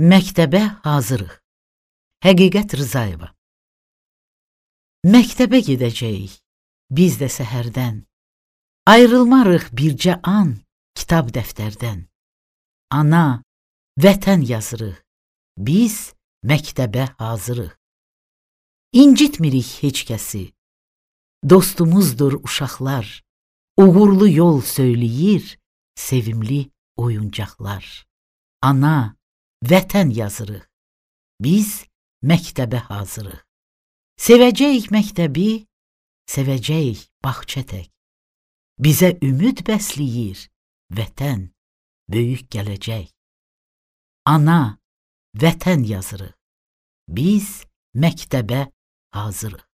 Məktəbə hazırıq. Həqiqət Rızayeva. Məktəbə gedəcəyik, biz də səhərdən. Ayrılmarıq bircə an kitab dəftərdən. Ana, vətən yazırıq, biz məktəbə hazırıq. İncitmirik heç kəsi, dostumuzdur uşaqlar. Uğurlu yol söyləyir, sevimli oyuncaqlar. Ana, vətən yazırıq, biz məktəbə hazırıq. Sevəcəyik məktəbi, sevəcəyik bağça tək. Bizə ümid bəsləyir vətən, böyük gələcək. Ana, vətən yazırıq, biz məktəbə hazırıq.